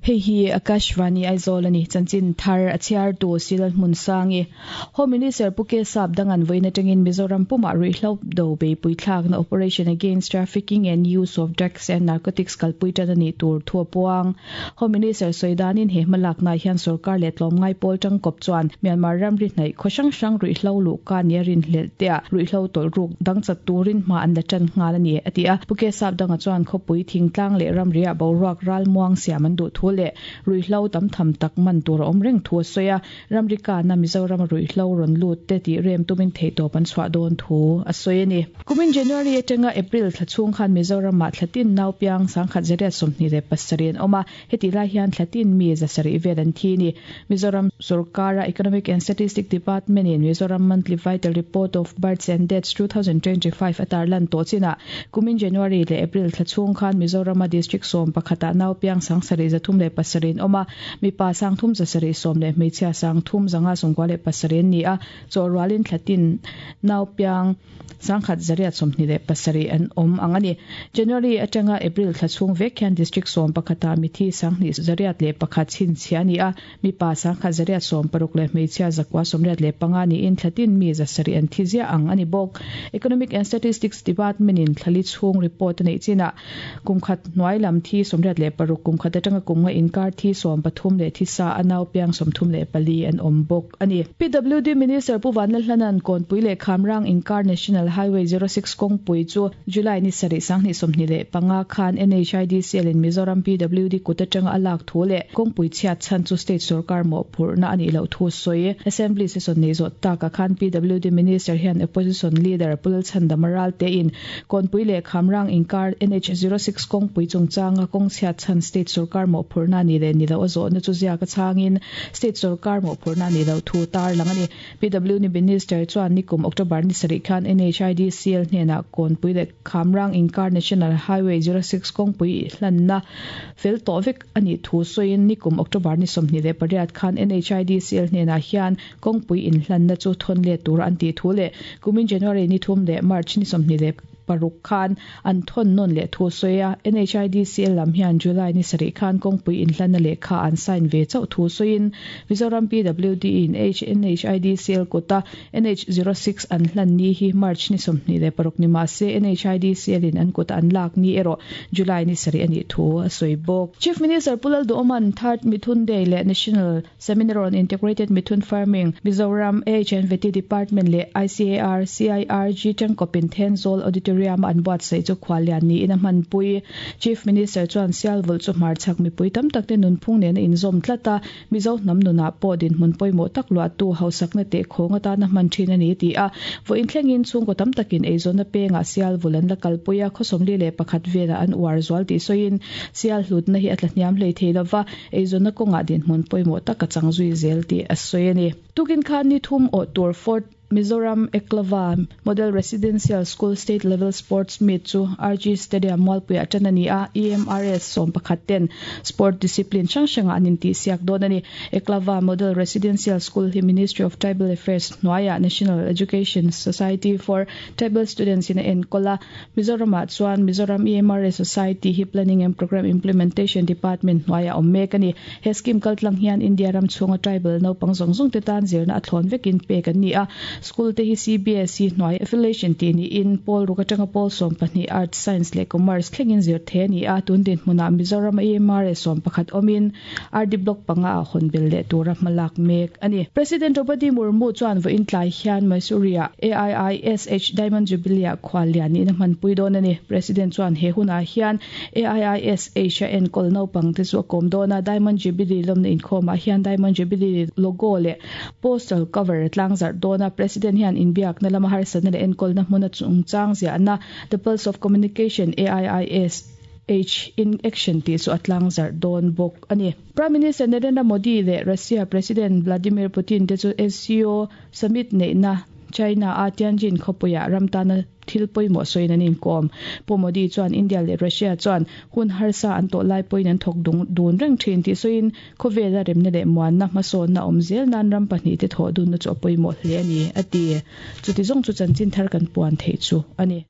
Hei hi Akashvani Aizawl a ni. Chanchin thar a chhiartu Silal Hmunsangi. Home Minister Pu K Sap Dangan vawiin atangin Mizoram pumah ruihhlo do beipui thlakna Operation Against Trafficking and Use of Drugs and Narcotics kalpui tan a nih tur thu a puang. Home Minister sawi danin he hmalaknaah hian sorkar leh tlawmngai pawl tangkawp chuan Myanmar ramri hnaih khaw hrang hrang ruihhlo luhka nia rinhlelh teah ruihhlo tawlh ruk dang chat turin hma an la tan nghal a ni, a ti a. Pu K Sap Danga chuan khawpui thingtlang leh ramriah boruak ralmuang siam an duh thu leh ruihhlo tam tham tak man tur a awm reng thu a sawi a. Ramri kana Mizorama ruihhlo rawn lut te tih rem tumin theihtawp an chhuah dawn thu a sawi a ni. Kumin January atanga April thla chhung khan Mizoramah thlatin naupiang 1127 an awm a, hetih lai hian thlatin mi zasarih vel an thi a ni. Mizoram sorkara Economic and Statistic Department in Mizoram Monthly Vital Report of Births and Deaths 2025 a tarlan tawh chinah kumin January leh April thla chhung khan Mizorama District sawm pakhatah naupiang 7337 an awm a, Mipa sangthum zasarih sawm leh hmeichhia sangthum zanga sawmkua leh pasarih an ni a, chawhrualin thlatin naupiang sangkhat zariat 27 an awm ang a ni. January atanga April thla chhung vek hian District sawm pakhatah mithi sanghnih zariat leh pakhat chhinchhiah a ni a, mipa sangkhat zariat sawm paruk leh hmeichhia zakua 85 niin thlatin mi zasarih an thi ziah ang a ni bawk. Economic and Statistics Department-in thlali chhung report a neih chinah Kum khat hnuai lam thi 86, kum khat atanga kum nga inkar thi 13 leh thi sa a nau piang 34 an awm bawk a ni. PWD Minister Pu Vanlalhlana'n Kawnpui leh Khamrang inkar National Highway 06 kawngpui chu July ni sarih sanghnih 25 khan NHIDCL in Mizoram PWD kut atanga a lak thu leh kawngpui chhiat chhan chu state sorkar mawhphurhna a nih loh thu sawi. Assembly session nei zawh takah khan PWD Minister hian Opposition Leader Pu Lalchhandama Ralte in Kawnpui leh Khamrang inkar NH 06 kawngpui chungchanga kawng chhiat chhan state sorkar mawhphurhna ni leh ni loh a zawhna chu ziak a chhangin state sorkar mawhphurhna ni loh thu tarlang a ni. PW ni Minister chuan nikum October ni sarih khan NHIDCL hnenah Kawnpui leh Khamrang inkar National Highway 06 kawngpui hlanna fel tawh vek a nih thu sawiin nikum October ni 28 khan NHIDCL hnenah hian Kawngpui inhlanna chu thawn let tura an tih thu leh kumin January ni thum leh March ni 26 khan an thawn nawn leh thu a sawi a. NHIDCL lam hian July ni sarih khan kawngpui inhlanna lehkha an sign ve chauh thu sawiin Mizoram PWD in NHIDCL kuta NH 06 an hlan ni hi March ni 26 ni mah se NHIDCL in an kuta an lak ni erawh July ni sarih a nih thu a sawi bawk. Chief Minister Pu Lalduhawman Third Mithun Day leh National Seminar on Integrated Mithun Farming, Mizoram AHNVT Department leh ICAR, CIRG tangkawpin Thenzawl Auditorium-a an buatsaih chu khuallian niin a hmanpui. Chief Minister chuan Sialvulh chu hmarchhak mipui tam takte nunphung nena inzawm tlat a, Mizo hnam nunah pawh dinhmun pawimawh tak luahtu hausakna teh khawng atana hman thin a ni ti a. Vawiin thlengin chhungkaw tam takin eizawnna pengah Sialvulh an la kalpui a, khaw 41 velah an uar zual tih sawiin Sial hlutna hi a tlahniam hlei thei lova, Eizawnna kawngah dinhmun pawimawh tak a chang zui zel tih a sawi a ni. Tukin khan ni thum awh tur Fort Mizoram Eklava Model Residential School State Level Sports Meet chu RG Stadium Mualpuiah tan a ni a, EMRS sawmpakhat ten sport discipline hrang hrangah an intihsiak dawn a ni. Eklava Model Residential School hi Ministry of Tribal Affairs hnuaiah National Education Society for Tribal Students in a enkawl a, Mizoramah chuan Mizoram EMRA Society hi Planning and Programme Implementation Department hnuaiah awm mek a ni. He scheme kaltlang hian India ram chhunga tribal naupang zawng zawng te tan zirna a thlawn vekin pek an ni a. School te hi CBSE hnuai affiliation tih niin pawl ruk atanga pawl 12 Arts, Science leh Commerce thlengin zir thei a ni a. Tun dinhmunah Mizoram EMRA 11 awmin RD Block panga ah hawn bel leh tura hma lak mek a ni. President Draupadi Murmu chuan vawiin tlai hian Mysore-ah AIISH Diamond Jubilee-ah khual lian niin a hmanpui dawn a ni. President chuan he hunah hian AIISH a enkawl naupangte chu a kawm dawn a, Diamond Jubilee lawmna inkhawmah hian Diamond Jubilee logo leh postal cover a tlangzarh dawn a. President hian inbiakna lama harsatna leh enkawlna hmuna chungchang ziahna The Pulse of Communication AIIS H in action tih chu a tlangzarh dawn bawk a ni. Prime Minister Narendra Modi leh Russia President Vladimir Putin te chu SCO summit neihna China a Tianjin khawpuiah ram tana thil pawimawh sawiin an inkawm. Pu Modi chuan India leh Russia chuan hun harsa an tawh lai pawhin an thawk dun reng thin tih sawiin khawvela remna leh muanna hmasawnna awm zel nan ram pahnih te thawh dunna chu a pawimawh hle a ni, a ti. Chuti zawng chu chanchin thar kan puan theih chu a ni.